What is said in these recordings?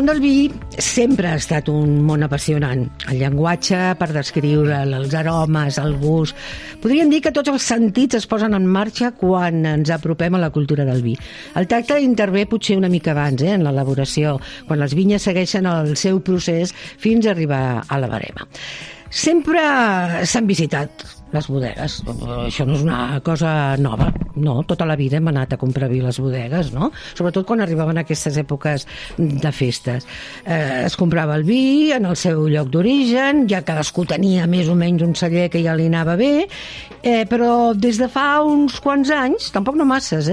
món del vi sempre ha estat un món apassionant. El llenguatge per descriure'l, els aromes, el gust... Podríem dir que tots els sentits es posen en marxa quan ens apropem a la cultura del vi. El tacte intervé potser una mica abans, en l'elaboració, quan les vinyes segueixen el seu procés fins a arribar a la barema. Sempre s'han visitat les bodegues. Això no és una cosa nova, no? Tota la vida hem anat a comprar vi a les bodegues, no? Sobretot quan arribaven aquestes èpoques de festes. Es comprava el vi en el seu lloc d'origen, ja cadascú tenia més o menys un celler que ja li anava bé, però des de fa uns quants anys, tampoc no masses,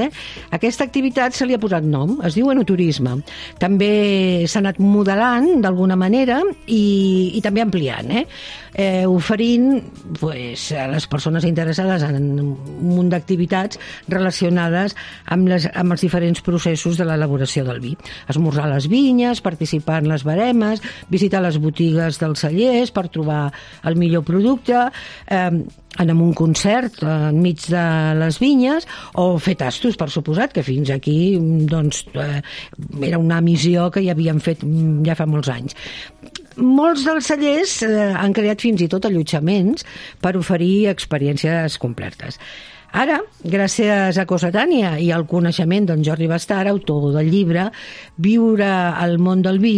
aquesta activitat se li ha posat nom, es diu enoturisme. També s'ha anat modelant d'alguna manera i també ampliant, oferint a les persones interessades en un munt d'activitats relacionades amb els diferents processos de l'elaboració del vi. Esmorzar a les vinyes, participar en les baremes, visitar les botigues dels cellers per trobar el millor producte, anar a un concert enmig de les vinyes o fer tastos, per suposat, que fins aquí era una missió que ja havien fet ja fa molts anys. Molts dels cellers han creat fins i tot allotjaments per oferir experiències completes. Ara, gràcies a Cossetània i al coneixement d'en Jordi Bastar, autor del llibre Viure al món del vi,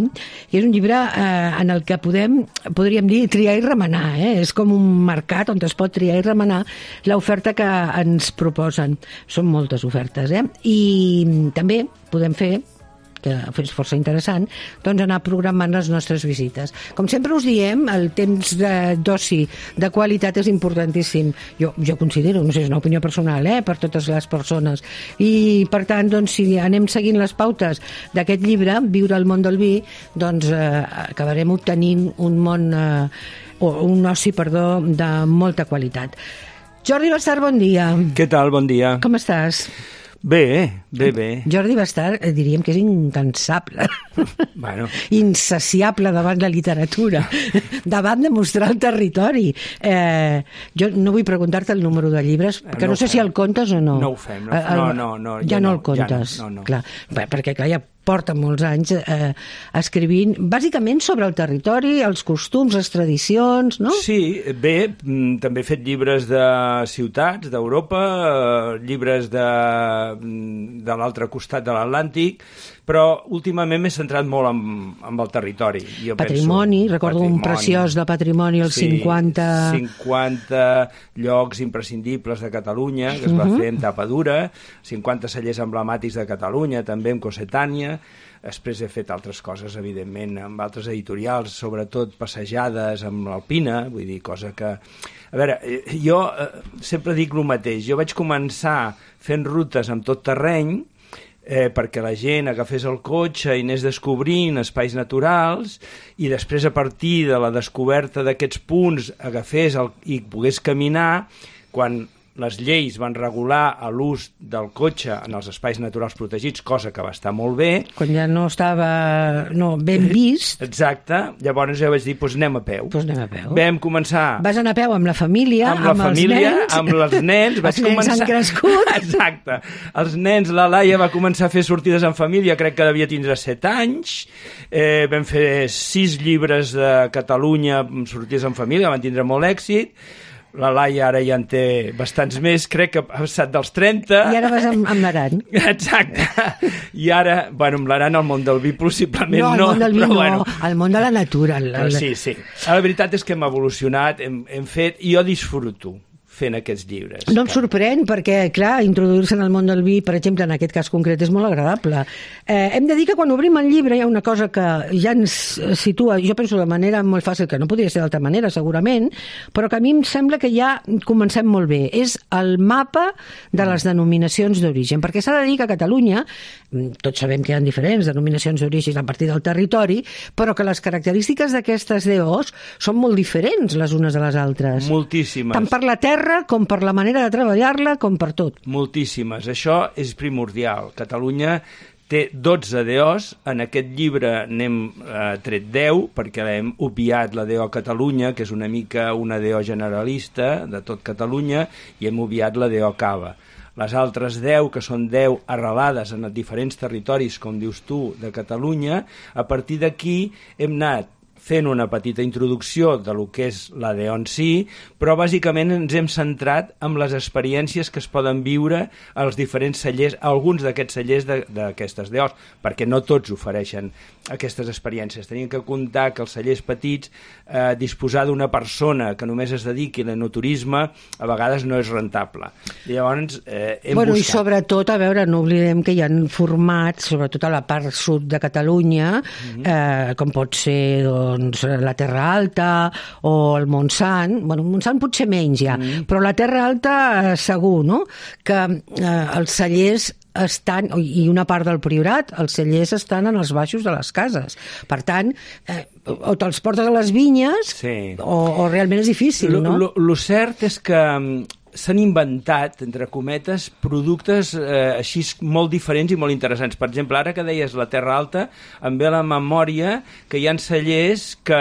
que és un llibre en el que podríem dir triar i remenar. És com un mercat on es pot triar i remenar l'oferta que ens proposen. Són moltes ofertes, I també podem fer, que és força interessant, anar programant les nostres visites. Com sempre us diem, el temps d'oci de qualitat és importantíssim. Jo considero, no sé, és una opinió personal, per totes les persones. I, per tant, si anem seguint les pautes d'aquest llibre, Viure al món del vi, acabarem obtenint un oci, de molta qualitat. Jordi Bastar, bon dia. Què tal? Bon dia. Com estàs? Bé. Jordi Bastar, diríem que és incansable, insaciable davant la literatura, davant de mostrar el territori. Jo no vull preguntar-te el número de llibres, perquè no sé si el comptes o no. No ho fem. Ja no el comptes. No. Clar, perquè ja porta molts anys escrivint, bàsicament sobre el territori, els costums, les tradicions, no? Sí, bé, també he fet llibres de ciutats, d'Europa, llibres de l'altre costat de l'Atlàntic, però últimament m'he centrat molt en el territori. Patrimoni, recordo un preciós de patrimoni, els 50 llocs imprescindibles de Catalunya, que es va fer amb tapa dura, 50 cellers emblemàtics de Catalunya, també amb Cossetània. Després he fet altres coses, evidentment, amb altres editorials, sobretot passejades amb l'Alpina, vull dir, cosa que... A veure, jo sempre dic el mateix. Jo vaig començar fent rutes amb tot terreny, perquè la gent agafés el cotxe i anés descobrint espais naturals i després, a partir de la descoberta d'aquests punts, agafés i pogués caminar. Quan les lleis van regular l'ús del cotxe en els espais naturals protegits, cosa que va estar molt bé. Quan ja no estava ben vist. Exacte. Llavors jo vaig dir, anem a peu. Vam començar... Vas anar a peu amb la família, amb els nens. Els nens han crescut. Exacte. Els nens, la Laia va començar a fer sortides en família, crec que devia tindre 7 anys. Vam fer 6 llibres de Catalunya amb sortides en família, van tindre molt èxit. La Laia ara ja en té bastants més, crec que ha passat dels 30. I ara vas amb l'Aran. Exacte. I ara, amb l'Aran al món del vi possiblement no. No, al món del vi no, al món de la natura. Sí. La veritat és que hem evolucionat, hem fet, i jo disfruto fent aquests llibres. No em sorprèn, perquè, clar, introduir-se en el món del vi, per exemple, en aquest cas concret, és molt agradable. Hem de dir que quan obrim el llibre hi ha una cosa que ja ens situa, jo penso de manera molt fàcil, que no podria ser d'altra manera, segurament, però que a mi em sembla que ja comencem molt bé. És el mapa de les denominacions d'origen, perquè s'ha de dir que a Catalunya, tots sabem que hi ha diferents denominacions d'origen a partir del territori, però que les característiques d'aquestes DOs són molt diferents les unes de les altres. Moltíssimes. Tant per la terra com per la manera de treballar-la, com per tot. Moltíssimes. Això és primordial. Catalunya té 12 DOs. En aquest llibre n'hem tret 10, perquè hem obviat la DO Catalunya, que és una mica una DO generalista de tot Catalunya, i hem obviat la DO Cava. les altres 10, que són 10 arrelades en diferents territoris, com dius tu, de Catalunya. A partir d'aquí hem anat fent una petita introducció de lo que és la DEO en si, però bàsicament ens hem centrat en les experiències que es poden viure als diferents cellers, alguns d'aquests cellers d'aquestes DEOs, perquè no tots ofereixen aquestes experiències. Tenim que comptar que els cellers petits, disposar d'una persona que només es dediqui a l'enoturisme, a vegades no és rentable. I llavors hem buscat... I sobretot, a veure, no oblidem que hi ha formats, sobretot a la part sud de Catalunya, com pot ser, doncs, la Terra Alta o el Montsant. Bueno, el Montsant potser menys ja, però la Terra Alta segur, no? Que els cellers estan, i una part del Priorat, els cellers estan en els baixos de les cases. Per tant, o te'ls portes a les vinyes, o realment és difícil, no? Lo cert és que s'han inventat, entre cometes, productes així molt diferents i molt interessants. Per exemple, ara que deies la Terra Alta, em ve a la memòria que hi ha cellers que,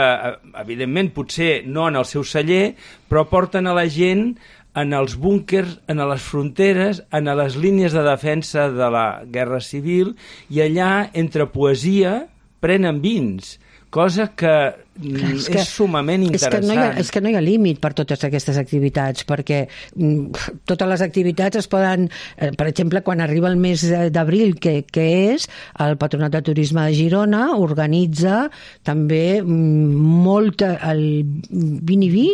evidentment, potser no en el seu celler, però porten a la gent en els búnquers, en les fronteres, en les línies de defensa de la Guerra Civil, i allà, entre poesia, prenen vins, cosa que és sumament interessant. És que no hi ha límit per totes aquestes activitats, perquè totes les activitats es poden... Per exemple, quan arriba el mes d'abril, que és, el Patronat de Turisme de Girona organitza també molta... el Viniví?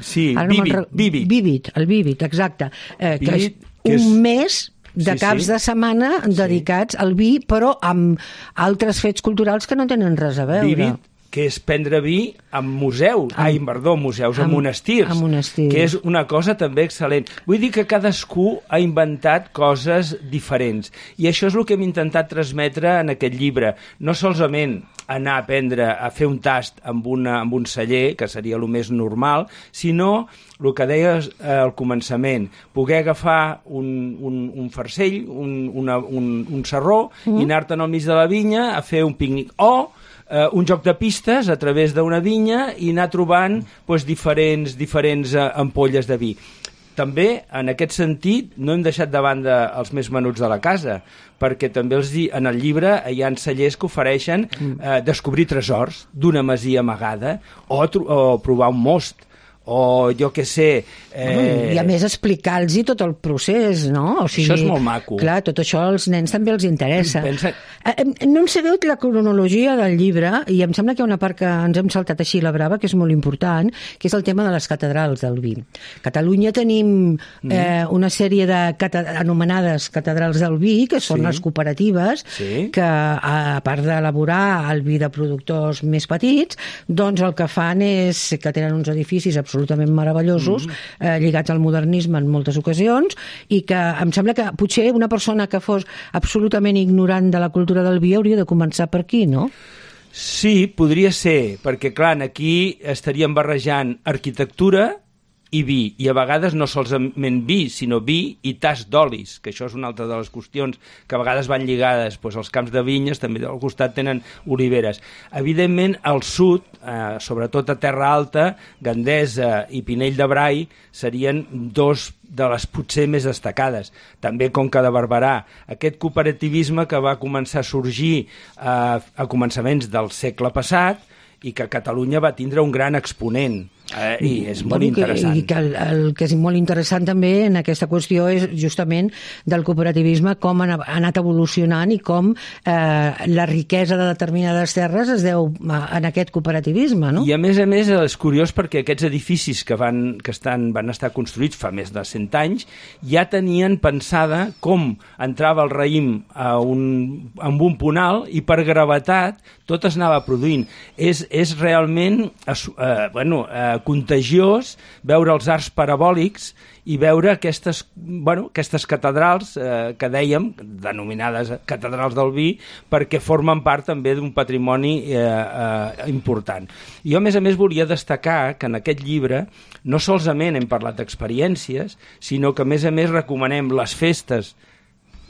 Sí, Vívid, el Vívid, exacte. Que és un mes de caps de setmana dedicats al vi, però amb altres fets culturals que no tenen res a veure. Vívid, que és prendre vi en museus, en monestirs, que és una cosa també excel·lent. Vull dir que cadascú ha inventat coses diferents, i això és el que hem intentat transmetre en aquest llibre. No solament anar a aprendre a fer un tast amb un celler, que seria el més normal, sinó el que deies al començament, poder agafar un farcell, un sarró, i anar-te'n al mig de la vinya a fer un pícnic, o un joc de pistes a través d'una vinya i anar trobant diferents ampolles de vi. També, en aquest sentit, no hem deixat de banda els més menuts de la casa, perquè també en el llibre hi ha cellers que ofereixen descobrir tresors d'una masia amagada o provar un most, o jo què sé... I a més explicar-los tot el procés, no? O sigui, això és molt maco. Clar, tot això als nens també els interessa. No hem sabut la cronologia del llibre, i em sembla que hi ha una part que ens hem saltat així la brava, que és molt important, que és el tema de les catedrals del vi. A Catalunya tenim una sèrie anomenades catedrals del vi, que són les cooperatives, que a part d'elaborar el vi de productors més petits, doncs el que fan és que tenen uns edificis absolutament meravellosos, lligats al modernisme en moltes ocasions, i que em sembla que potser una persona que fos absolutament ignorant de la cultura del vi hauria de començar per aquí, no? Sí, podria ser, perquè clar, aquí estaríem barrejant arquitectura i vi, i a vegades no solament vi, sinó vi i tast d'olis, que això és una altra de les qüestions que a vegades van lligades, doncs els camps de vinyes també al costat tenen oliveres. Evidentment, al sud, sobretot a Terra Alta, Gandesa i Pinell de Brai serien dos de les potser més destacades. També Conca de Barberà. Aquest cooperativisme que va començar a sorgir a començaments del segle passat i que a Catalunya va tindre un gran exponent. I és molt interessant. I que el que és molt interessant també en aquesta qüestió és justament del cooperativisme, com ha anat evolucionant i com la riquesa de determinades terres es deu en aquest cooperativisme, no? I a més és curiós perquè aquests edificis que van estar construïts fa més de 100 anys ja tenien pensada com entrava el raïm amb un punt alt i per gravetat tot es anava produint. És realment contagiós veure els arcs parabòlics i veure aquestes catedrals que dèiem, denominades catedrals del vi, perquè formen part també d'un patrimoni important. Jo, a més, volia destacar que en aquest llibre no solament hem parlat d'experiències, sinó que, a més, recomanem les festes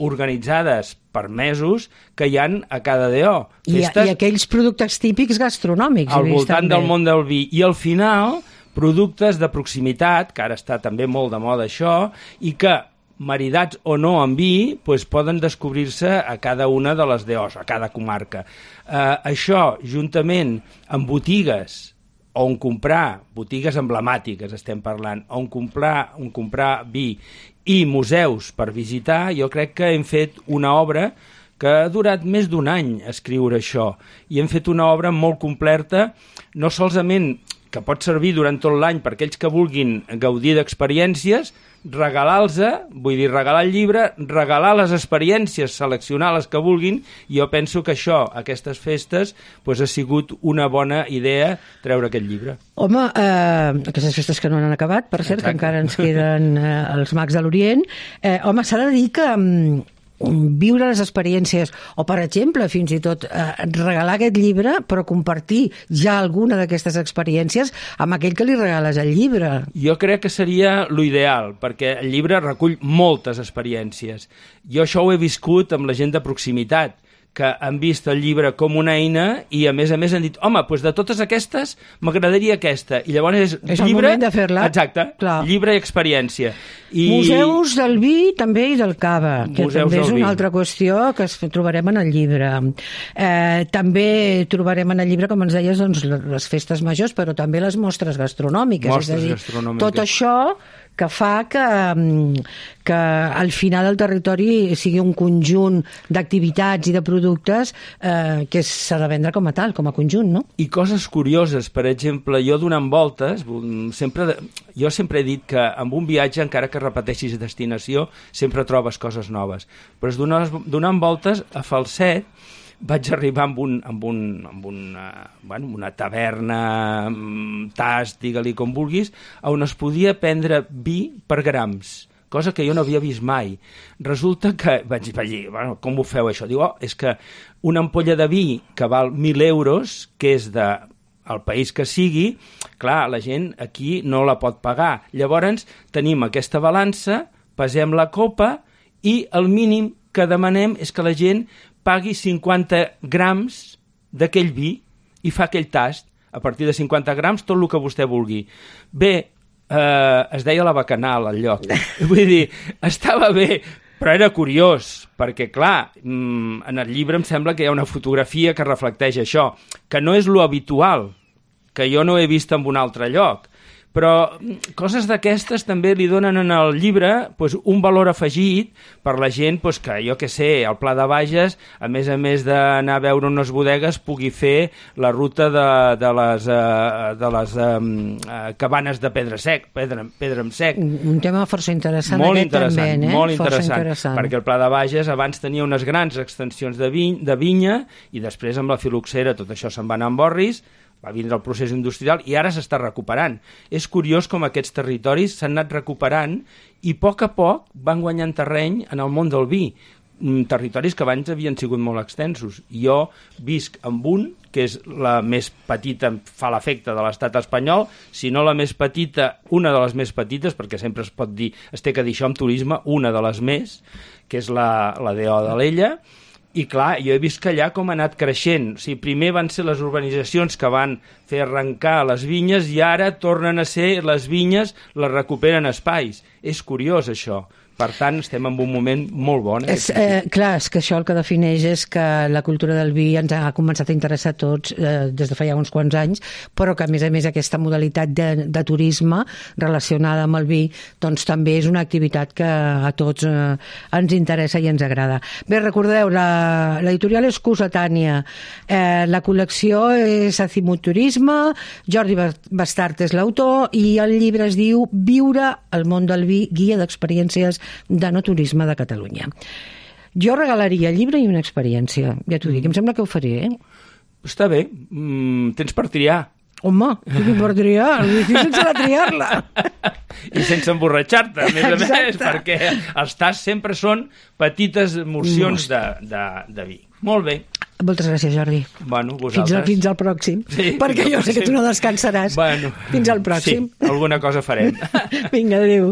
organitzades per mesos que hi han a cada DO. I aquells productes típics gastronòmics. Al voltant del món del vi. I al final, productes de proximitat, que ara està també molt de moda això, i que maridats o no amb vi, doncs poden descobrir-se a cada una de les DOs, a cada comarca. Això, juntament amb botigues, on comprar, botigues emblemàtiques estem parlant, on comprar vi i museus per visitar, jo crec que hem fet una obra que ha durat més d'un any escriure això, i hem fet una obra molt completa, no solament que pot servir durant tot l'any per aquells que vulguin gaudir d'experiències, regalar-los, vull dir, regalar el llibre, regalar les experiències, seleccionar les que vulguin, i jo penso que això, aquestes festes, doncs ha sigut una bona idea treure aquest llibre. Home, aquestes festes que no han acabat, per cert, que encara ens queden els Mags de l'Orient, home, s'ha de dir que viure les experiències, o per exemple fins i tot regalar aquest llibre però compartir ja alguna d'aquestes experiències amb aquell que li regales el llibre. Jo crec que seria l'ideal, perquè el llibre recull moltes experiències. Jo això ho he viscut amb la gent de proximitat, que han vist el llibre com una eina i a més han dit, home, doncs de totes aquestes m'agradaria aquesta, i llavors és llibre, el moment de fer-la. Exacte, clar. Llibre i experiència. Museus del vi també i del cava, que també és una altra qüestió que trobarem en el llibre. També trobarem en el llibre, com ens deies, doncs, les festes majors, però també les mostres gastronòmiques. Mostres gastronòmiques. Tot això que fa que al final el territori sigui un conjunt d'activitats i de productes que s'ha de vendre com a tal, com a conjunt, no? I coses curioses, per exemple, jo donant voltes, jo sempre he dit que amb un viatge, encara que repeteixis destinació, sempre trobes coses noves. Però donant voltes a Falset, vaig arribar amb una taverna, tast, digue-li com vulguis, on es podia prendre vi per grams, cosa que jo no havia vist mai. Resulta que vaig dir, bueno, com ho feu això? Diu, és que una ampolla de vi que val 1.000 euros, que és del país que sigui, clar, la gent aquí no la pot pagar. Llavors tenim aquesta balança, pesem la copa i el mínim que demanem és que la gent pagui 50 grams d'aquell vi i fa aquell tast. A partir de 50 grams, tot el que vostè vulgui. Bé, es deia la Bacanal, al lloc. Vull dir, estava bé, però era curiós, perquè, clar, en el llibre em sembla que hi ha una fotografia que reflecteix això, que no és lo habitual, que jo no he vist en un altre lloc. Però coses d'aquestes també li donen en el llibre un valor afegit per la gent que, jo què sé, al Pla de Bages, a més d'anar a veure unes bodegues, pugui fer la ruta de les cabanes de pedra en sec. Un tema força interessant. Molt interessant, molt interessant, perquè el Pla de Bages abans tenia unes grans extensions de vinya i després amb la filoxera tot això se'n va anar amb orris, va vindre el procés industrial i ara s'està recuperant. És curiós com aquests territoris s'han anat recuperant i a poc van guanyant terreny en el món del vi. Territoris que abans havien sigut molt extensos. Jo visc amb un, que és la més petita, fa l'efecte de l'estat espanyol, si no la més petita, una de les més petites, perquè sempre es pot dir, es té que dir això amb turisme, una de les més, que és la DO d'Alella. I clar, jo he vist que allà com ha anat creixent. O sigui, primer van ser les urbanitzacions que van fer arrencar les vinyes i ara tornen a ser les vinyes, les recuperen espais. És curiós, això. Per tant, estem en un moment molt bon. Clar, és que això el que defineix és que la cultura del vi ens ha començat a interessar a tots des de fa ja uns quants anys, però que a més aquesta modalitat de turisme relacionada amb el vi doncs també és una activitat que a tots ens interessa i ens agrada. Bé, recordeu, l'editorial és Cossetània, la col·lecció és Azimuturisme, Jordi Bastart és l'autor i el llibre es diu Viure el món del vi, guia d'experiències de no turisme de Catalunya. Jo regalaria el llibre i una experiència, ja t'ho dic, em sembla que ho faré, Està bé, tens per triar. Home, per triar, el difícil serà triar-la. I sense emborratxar-te, a més, perquè els tasts sempre són petites morcions de vi. Molt bé. Moltes gràcies, Jordi. Bueno, vosaltres. Fins al pròxim. Sí, perquè jo sé que tu no descansaràs. Bueno, fins al pròxim. Sí, alguna cosa farem. Vinga, adéu.